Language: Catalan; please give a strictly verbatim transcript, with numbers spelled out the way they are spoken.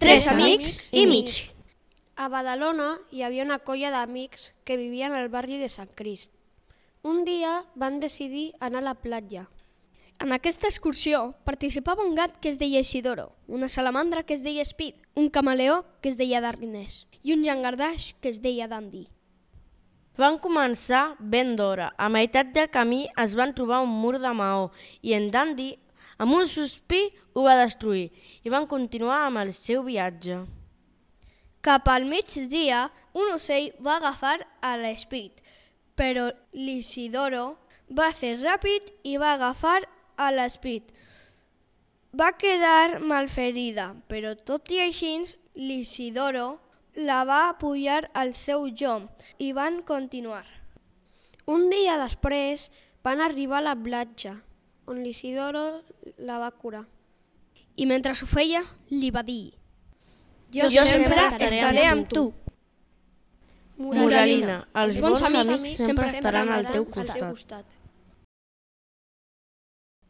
Tres amics i mig. A Badalona hi havia una colla d'amics que vivien al barri de Sant Crist. Un dia van decidir anar a la platja. En aquesta excursió participava un gat que es deia Isidoro, una salamandra que es deia Speed, un camaleó que es deia Darnés i un llangardaix que es deia Dandy. Van començar ben d'hora. A meitat de camí es van trobar un mur de maó i en Dandy, amb un sospir, ho va destruir i van continuar amb el seu viatge. Cap al migdia, un ocell va agafar a l'Speed, però l'Isidoro va ser ràpid i va agafar a l'Speed. Va quedar malferida, però tot i així l'Isidoro la va pujar al seu llom i van continuar. Un dia després van arribar a la platja, on l'Isidoro la va curar. I mentre ho feia, li va dir: Jo, Jo sempre sempre estaré amb tu. Moralina, els bons amics sempre estaran al teu costat.